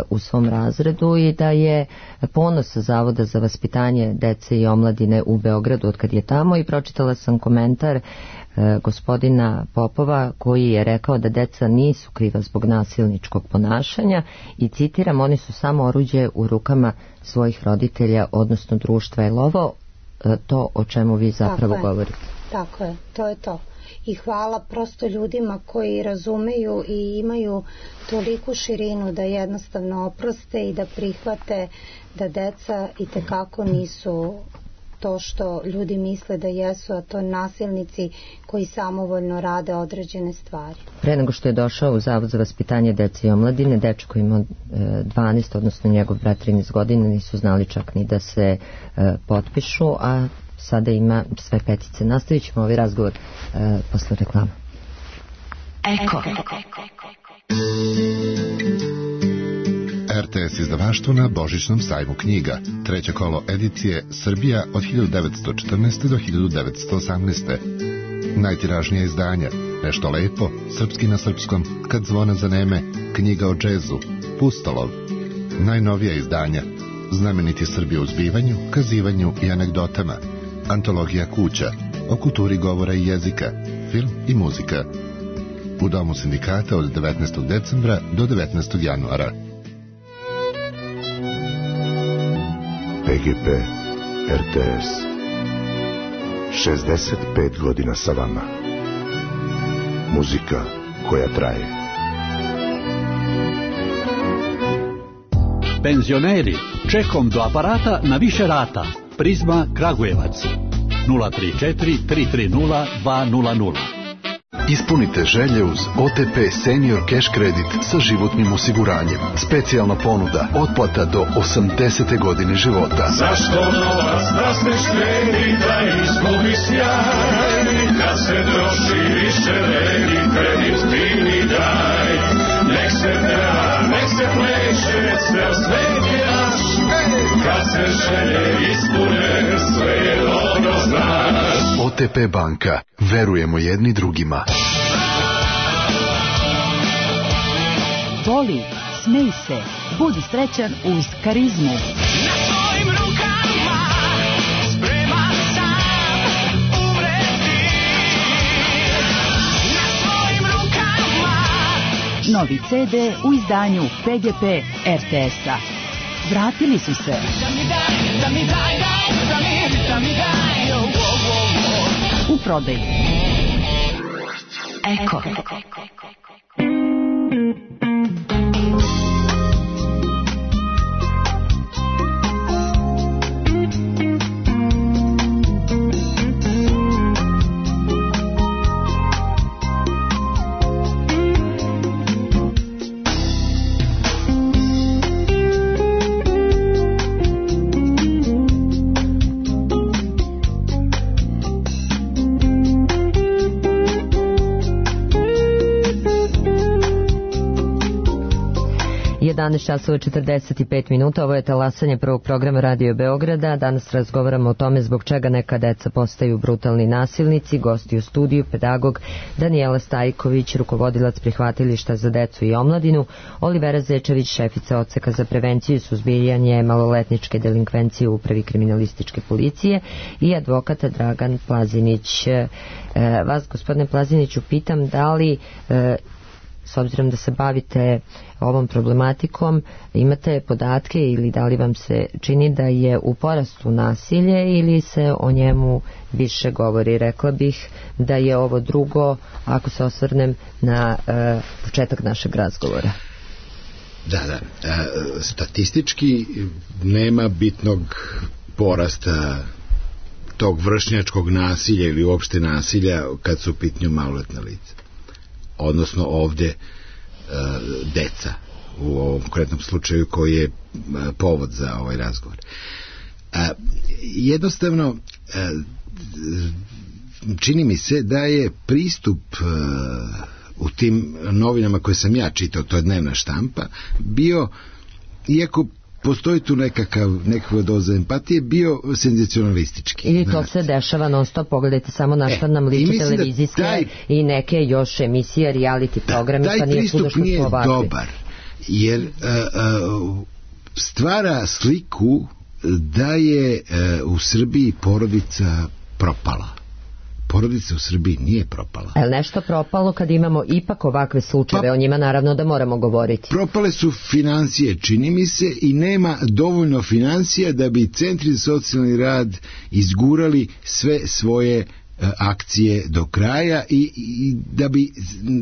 u svom razredu i da je ponos Zavoda za vaspitanje dece i omladine u Beogradu od kad je tamo. I pročitala sam komentar gospodina Popova koji je rekao da deca nisu kriva zbog nasilničkog ponašanja i citiram, oni su samo oruđe u rukama svojih roditelja, odnosno društva. Je li ovo to o čemu vi zapravo Tako govorite? Tako je, to je to. I hvala prosto ljudima koji razumeju i imaju toliku širinu da jednostavno oproste i da prihvate da deca i tekako nisu to što ljudi misle da jesu, a to nasilnici koji samovoljno rade određene stvari. Pre nego što je došao u Zavod za vaspitanje dece i omladine, dečko ima dvanaest, odnosno njegov brat trinaest godina, nisu znali čak ni da se e, potpišu, a sada ima sve petice. Nastavit ćemo ovaj razgovor e, posle reklama. Eko. R T S izdavaštvo na Božićnom sajmu knjiga. Treće kolo edicije Srbija od hiljadu devetsto četrnaeste. do hiljadu devetsto osamnaeste. Najtiražnija izdanja Nešto lepo, Srpski na srpskom, Kad zvona zaneme, Knjiga o džezu, Pustolov. Najnovija izdanja Znameniti Srbi u zbivanju, kazivanju i anegdotama, Antologija kuća, o kulturi govora i jezika, film i muzika. U Domu sindikata od devetnaestog decembra do devetnaestog januara. P G P R T S šezdeset pet godina sa vama. Muzika koja traje. Penzioneri, čekom do aparata na više rata. Prizma Kragujevac nula tri četiri tri tri nula dva nula nula. Ispunite želje uz O T P Senior Cash Credit sa životnim osiguranjem. Specijalna ponuda, otplata do osamdesete godine života. Zašto novac da se štedi, da izgubi sjaj? Kad se troši više vredi, kredit ti mi daj. Nek se peva, nek se pleše, cel svet je naš. Kad se želje ispune, sve je dobro znaš. O T P banka, verujemo jedni drugima. Voli, smej se, budi srećan uz Karizmu. Na svojim rukama spreman sam umreti. Na svojim rukama. Novi C D u izdanju P G P R T S-a. Vratili su se. Da mi daj, da mi daj, daj, da mi, da mi daj, oh, oh, oh. U prodaju. Eko. jedanaest časova četrdeset pet minuta, ovo je talasanje prvog programa Radio Beograda. Danas razgovaramo o tome zbog čega neka deca postaju brutalni nasilnici. Gosti u studiju, pedagog Danijela Stajković, rukovodilac prihvatilišta za decu i omladinu, Olivera Zečević, šefica odseka za prevenciju i suzbijanje maloletničke delinkvencije u upravi kriminalističke policije i advokata Dragan Plazinić. E, vas, gospodine Plaziniću, pitam da li e, s obzirom da se bavite ovom problematikom, imate podatke ili da li vam se čini da je u porastu nasilje ili se o njemu više govori? Rekla bih da je ovo drugo, ako se osvrnem na e, početak našeg razgovora. Da, da. E, statistički nema bitnog porasta tog vršnjačkog nasilja ili uopšte nasilja kad su u pitanju maloletna lica. Odnosno ovde e, deca u ovom konkretnom slučaju koji je e, povod za ovaj razgovor. E, jednostavno e, čini mi se da je pristup e, u tim novinama koje sam ja čitao, to je dnevna štampa, bio, iako postoji tu nekakav, nekakva doza empatije, bio senzacionalistički. Ili to se dešava non stop, pogledajte samo na što nam liči televizijske taj, i neke još emisije, reality programi, da, pa nije svuda što nije smo ovakvi. Dobar, jer uh, uh, stvara sliku da je uh, u Srbiji porodica propala. Porodica u Srbiji nije propala. Je li nešto propalo kad imamo ipak ovakve slučajeve? Pa, o njima naravno da moramo govoriti. Propale su financije, čini mi se, i nema dovoljno financija da bi centri za socijalni rad izgurali sve svoje uh, akcije do kraja i, i da bi,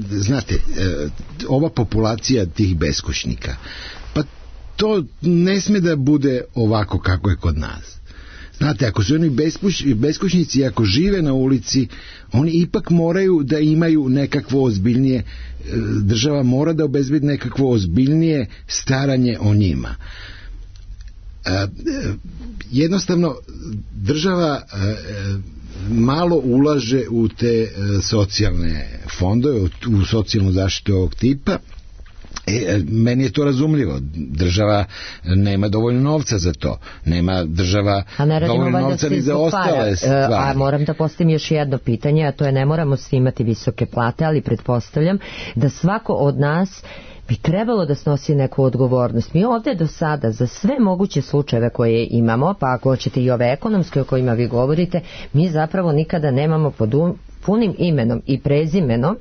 znate, uh, ova populacija tih beskućnika, pa to ne sme da bude ovako kako je kod nas. Znate, ako su oni beskućnici, ako žive na ulici, oni ipak moraju da imaju nekakvo ozbiljnije, država mora da obezbedi nekakvo ozbiljnije staranje o njima. Jednostavno, država malo ulaže u te socijalne fondove, u socijalnu zaštitu ovog tipa. E, meni je to razumljivo. Država nema dovoljno novca za to. Nema država dovoljno novca ni za ostale stvari. A moram da postavim još jedno pitanje, a to je, ne moramo svi imati visoke plate, ali pretpostavljam da svako od nas bi trebalo da snosi neku odgovornost. Mi ovde do sada za sve moguće slučajeve koje imamo, pa ako hoćete i ove ekonomske o kojima vi govorite, mi zapravo nikada nemamo pod punim imenom i prezimenom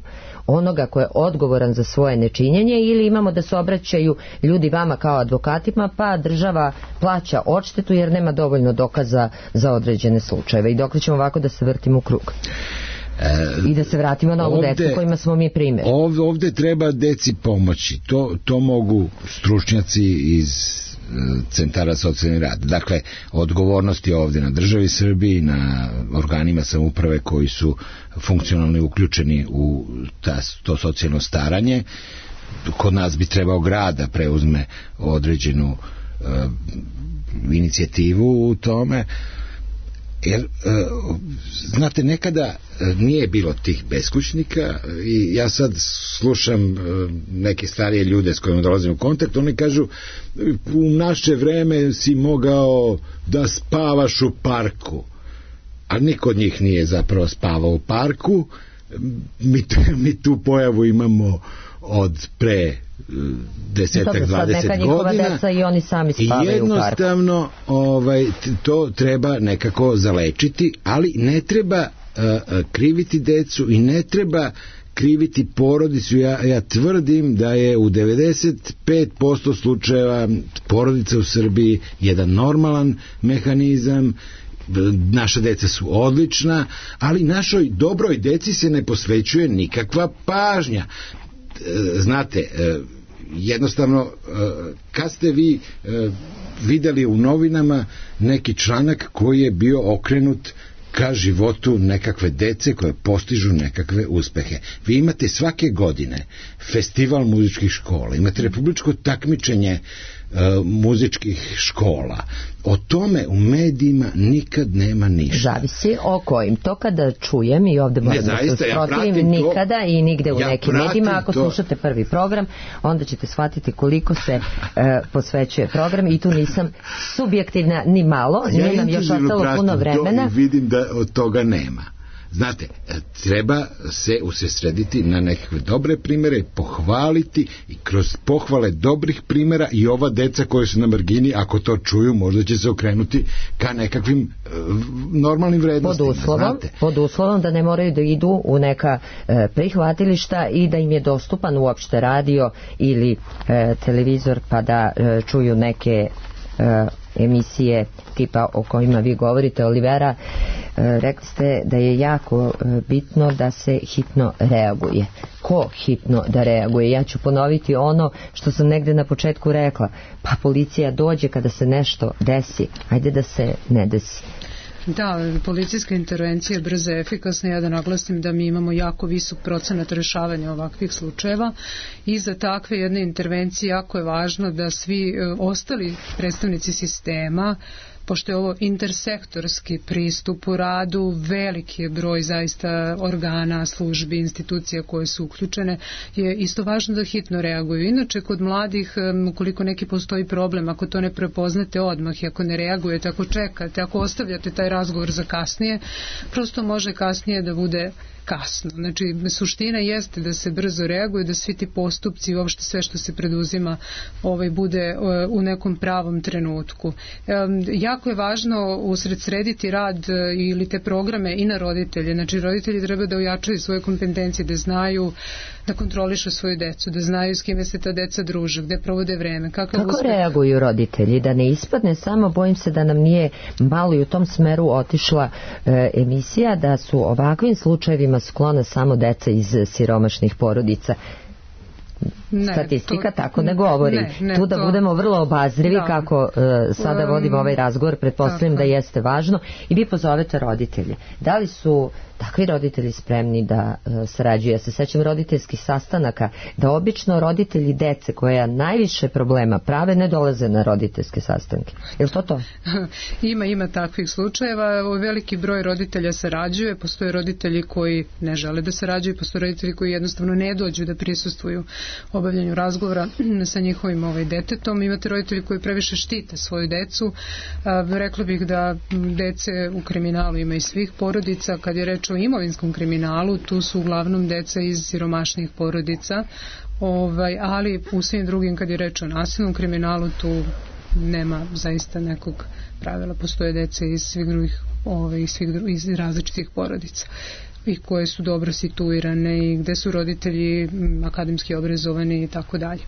onoga ko je odgovoran za svoje nečinjenje, ili imamo da se obraćaju ljudi vama kao advokatima, pa država plaća odštetu jer nema dovoljno dokaza za određene slučajeve. I dokle ćemo ovako da se vrtimo u krug? E, I da se vratimo na ovu decu kojima smo mi primjer. Ovde, ovde treba deci pomoći. To, to mogu stručnjaci iz centara socijalni rad. Dakle, odgovornost je ovdje na državi Srbiji, na organima samouprave koji su funkcionalno uključeni u ta, to socijalno staranje. Kod nas bi trebao grad da preuzme određenu uh, inicijativu u tome. Jer, uh, znate, nekada nije bilo tih beskućnika i ja sad slušam uh, neke starije ljude s kojima dolazim u kontakt, oni kažu, u naše vreme si mogao da spavaš u parku, a niko od njih nije zapravo spavao u parku. Mi, mi tu pojavu imamo od pre desetak, dvadeset godina i oni sami spavaju i jednostavno ovaj, to treba nekako zalečiti, ali ne treba uh, kriviti decu i ne treba kriviti porodicu. Ja, ja tvrdim da je u devedeset pet posto slučajeva porodica u Srbiji jedan normalan mehanizam. Naša deca su odlična, ali našoj dobroj deci se ne posvećuje nikakva pažnja. Znate, jednostavno, kad ste vi videli u novinama neki članak koji je bio okrenut ka životu nekakve dece koje postižu nekakve uspehe? Vi imate svake godine festival muzičkih škola, imate republičko takmičenje muzičkih škola. O tome u medijima nikad nema ništa. Zavisi o kojim. To kada čujem i ovde moram da se usprotivim, ja nikada i nigde u ja nekim medijima. Ako to. Slušate prvi program, onda ćete shvatiti koliko se e, posvećuje program i tu nisam subjektivna ni malo. Ja nije nam još ostalo puno vremena. I vidim da od toga nema. Znate, treba se usredsrediti na nekakve dobre primere, pohvaliti i kroz pohvale dobrih primera i ova deca koji su na margini, ako to čuju, možda će se okrenuti ka nekakvim uh, normalnim vrednostima. Pod uslovom, znate. pod uslovom da ne moraju da idu u neka uh, prihvatilišta i da im je dostupan uopšte radio ili uh, televizor pa da uh, čuju neke uh, emisije tipa o kojima vi govorite. Olivera, rekli ste da je jako bitno da se hitno reaguje. Ko hitno da reaguje? Ja ću ponoviti ono što sam negde na početku rekla. Pa policija dođe kada se nešto desi. Ajde da se ne desi. Da, policijska intervencija je brza i efikasna. Ja da naglasim da mi imamo jako visok procenat rešavanja ovakvih slučajeva i za takve jedne intervencije jako je važno da svi ostali predstavnici sistema, pošto je ovo intersektorski pristup u radu, veliki je broj zaista organa, službi, institucija koje su uključene, je isto važno da hitno reaguju. Inače, kod mladih, ukoliko neki postoji problem, ako to ne prepoznate odmah i ako ne reagujete, ako čekate, ako ostavljate taj razgovor za kasnije, prosto može kasnije da bude kasno. Znači, suština jeste da se brzo reaguje, da svi ti postupci i uopšte sve što se preduzima ovaj, bude u nekom pravom trenutku. E, jako je važno usredsrediti rad ili te programe i na roditelje. Znači, roditelji treba da ojačaju svoje kompetencije, da znaju da kontrolišu svoju decu, da znaju s kime se ta deca druže, gde provode vreme. Kako uspeh... reaguju roditelji? Da ne ispadne samo, bojim se da nam nije malo i u tom smeru otišla e, emisija, da su ovakvim slučajevima sklona samo deca iz siromašnih porodica. Ne, statistika to, tako ne govori. Ne, ne, tu da to, budemo vrlo obazrivi da. Kako uh, sada um, vodimo ovaj razgovor, pretpostavljam da jeste važno i vi pozovete roditelje. Da li su takvi roditelji spremni da uh, sarađuju? Ja se sećam roditeljskih sastanaka, da obično roditelji dece koja najviše problema prave ne dolaze na roditeljske sastanke. Je li to to? Ima, ima takvih slučajeva. Veliki broj roditelja sarađuje, postoje roditelji koji ne žele da sarađuju, postoje roditelji koji jednostavno ne dođu da prisustvuju obavljanju razgovora sa njihovim ovaj detetom. Imate roditelji koji previše štite svoju decu. A, rekla bih da dece u kriminalu ima i svih porodica. Kad je reč o imovinskom kriminalu, tu su uglavnom deca iz siromašnih porodica, ovaj, ali u svim drugim, kad je reč o nasilnom kriminalu, tu nema zaista nekog pravila. Postoje dece iz svih drugih, ovaj, iz, svih drugih, iz različitih porodica i koje su dobro situirane i gde su roditelji akademski obrazovani i tako dalje.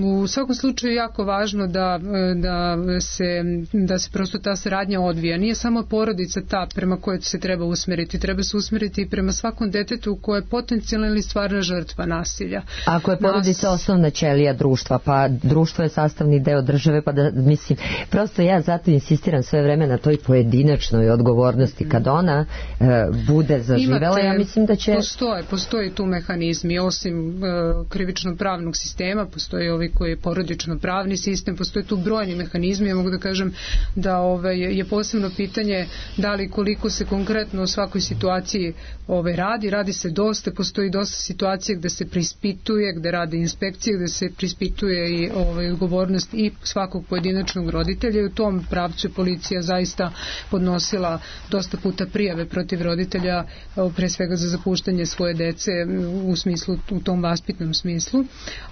U svakom slučaju je jako važno da, da, se, da se prosto ta saradnja odvija. Nije samo porodica ta prema kojoj se treba usmeriti. Treba se usmeriti i prema svakom detetu koje je potencijalna ili stvarna žrtva nasilja. Ako je porodica Nas... osnovna ćelija društva, pa društvo je sastavni deo države, pa da, mislim, prosto ja zato insistiram sve vreme na toj pojedinačnoj odgovornosti. Kad ona e, bude zaživela, Imate, ja mislim da će... Postoje, postoji tu mehanizmi, osim e, krivično-pravnog sistema, postoji ovaj koji je porodično pravni sistem, postoje tu brojni mehanizmi. Ja mogu da kažem da ovaj, je posebno pitanje da li koliko se konkretno u svakoj situaciji ovaj, radi, radi se dosta, postoji dosta situacije gde se preispituje, gde rade inspekcije, gde se preispituje i ovaj, odgovornost i svakog pojedinačnog roditelja i u tom pravcu policija zaista podnosila dosta puta prijave protiv roditelja, pre svega za zapuštanje svoje dece u smislu, u tom vaspitnom smislu,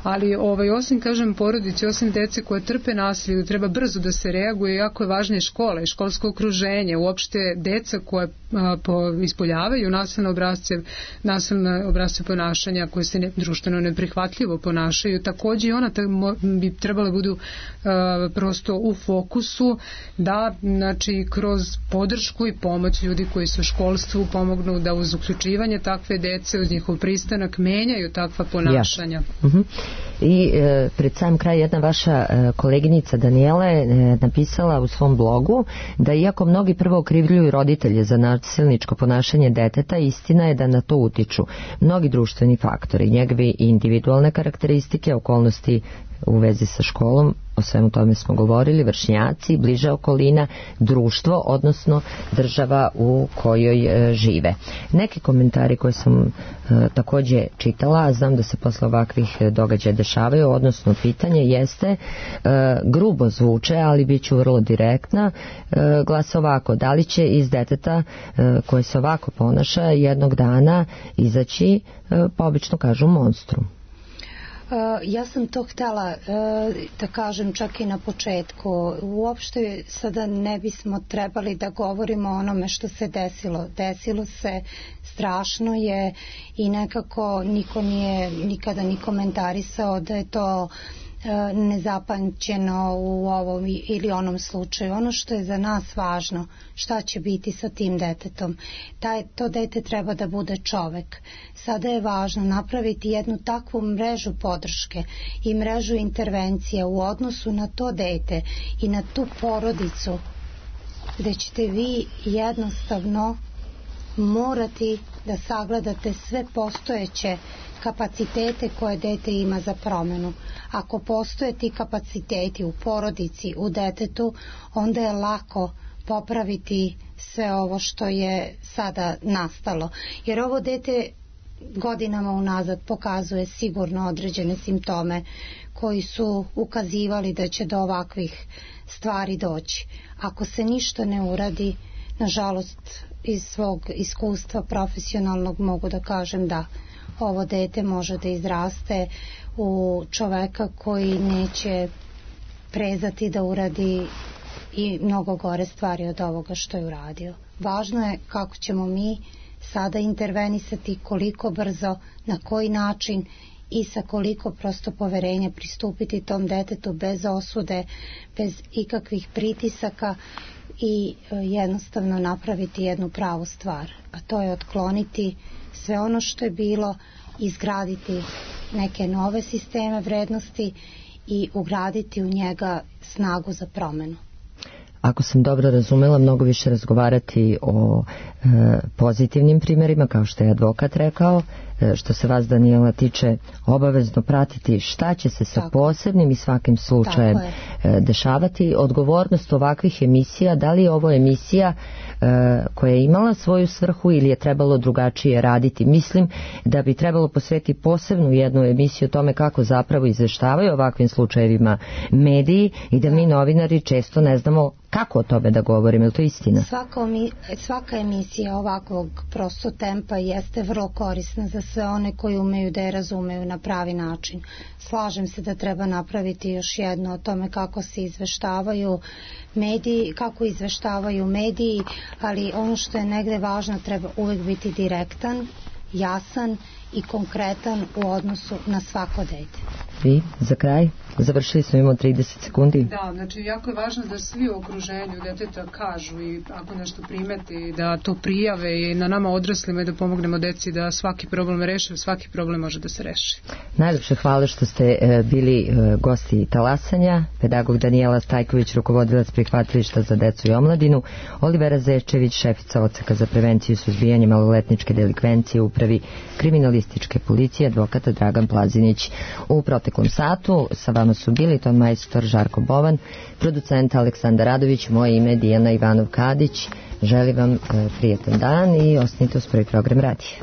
ali ovaj, osim, kažem, porodice, osim dece koje trpe nasilje, treba brzo da se reaguje, jako je važna i škola i školsko okruženje, uopšte deca koje a, po, ispoljavaju nasilne obrazce, nasilne obrazce ponašanja koje se ne, društveno neprihvatljivo ponašaju, takođe i ona ta, mo, bi trebala budu a, prosto u fokusu da, znači, kroz podršku i pomoć ljudi koji su u školstvu pomognu da uz uključivanje takve dece, uz njihov pristanak menjaju takva ponašanja. Ja. Uh-huh. I e, pred sam kraj jedna vaša e, koleginica Danijela je e, napisala u svom blogu da iako mnogi prvo okrivljuju roditelje za nasilničko ponašanje deteta, istina je da na to utiču mnogi društveni faktori, njegove individualne karakteristike, okolnosti u vezi sa školom, o svemu tome smo govorili, vršnjaci, bliža okolina, društvo, odnosno država u kojoj e, žive. Neki komentari koje sam e, takođe čitala, a znam da se posle ovakvih događaja dešavaju, odnosno pitanje jeste, e, grubo zvuče, ali bit ću vrlo direktna, e, glasa ovako: da li će iz deteta e, koje se ovako ponaša jednog dana izaći, e, pa obično kažu, monstrum? Uh, ja sam to htjela uh, da kažem čak i na početku. Uopšte sada ne bismo trebali da govorimo o onome što se desilo. Desilo se, strašno je i nekako niko nije nikada ni komentarisao da je to nezapamćeno u ovom ili onom slučaju. Ono što je za nas važno, šta će biti sa tim detetom. Taj, to dete treba da bude čovek. Sada je važno napraviti jednu takvu mrežu podrške i mrežu intervencija u odnosu na to dete i na tu porodicu, gde ćete vi jednostavno morati da sagledate sve postojeće kapacitete koje dete ima za promenu. Ako postoje ti kapaciteti u porodici, u detetu, onda je lako popraviti sve ovo što je sada nastalo. Jer ovo dete godinama unazad pokazuje sigurno određene simptome koji su ukazivali da će do ovakvih stvari doći. Ako se ništa ne uradi, nažalost, iz svog iskustva profesionalnog mogu da kažem da ovo dete može da izraste u čoveka koji neće prezati da uradi i mnogo gore stvari od ovoga što je uradio. Važno je kako ćemo mi sada intervenisati, koliko brzo, na koji način i sa koliko prosto poverenja pristupiti tom detetu bez osude, bez ikakvih pritisaka i jednostavno napraviti jednu pravu stvar, a to je otkloniti sve ono što je bilo, izgraditi neke nove sisteme vrednosti i ugraditi u njega snagu za promenu. Ako sam dobro razumela, mnogo više razgovarati o e, pozitivnim primjerima, kao što je advokat rekao, e, što se vas, Danijela, tiče, obavezno pratiti šta će se sa Tako. posebnim i svakim slučajem e, dešavati. Odgovornost ovakvih emisija, da li je ovo emisija e, koja je imala svoju svrhu ili je trebalo drugačije raditi? Mislim da bi trebalo posvetiti posebnu jednu emisiju o tome kako zapravo izveštavaju ovakvim slučajevima mediji i da mi novinari često ne znamo kako o tome da govorim, je li to istina? Svaka, svaka emisija ovakvog prosto tempa jeste vrlo korisna za sve one koji umeju da je razumeju na pravi način. Slažem se da treba napraviti još jedno o tome kako se izveštavaju mediji, kako izveštavaju mediji, ali ono što je negde važno, treba uvek biti direktan, jasan i konkretan u odnosu na svako dete. Vi, za kraj? Završili smo, imamo trideset sekundi. Da, znači jako je važno da svi u okruženju deteta kažu i ako nešto primeti, da to prijave i na nama odraslima i da pomognemo deci da svaki problem reše, svaki problem može da se reši. Najlepše hvala što ste e, bili e, gosti talasanja. Pedagog Danijela Stajković, rukovodilac prihvatilišta za decu i omladinu, Olivera Zečević, šefica odseka za prevenciju i suzbijanje maloletničke delikvencije u upravi kriminalističke policije, advokata Dragan Plazinić. U proteklom satu sa vama su bili ton majstor Žarko Bovan, producent Aleksandar Radović, moje ime Dijana Ivanov Kadić. Želim vam e, prijetan dan i ostanite uz prvi program radija.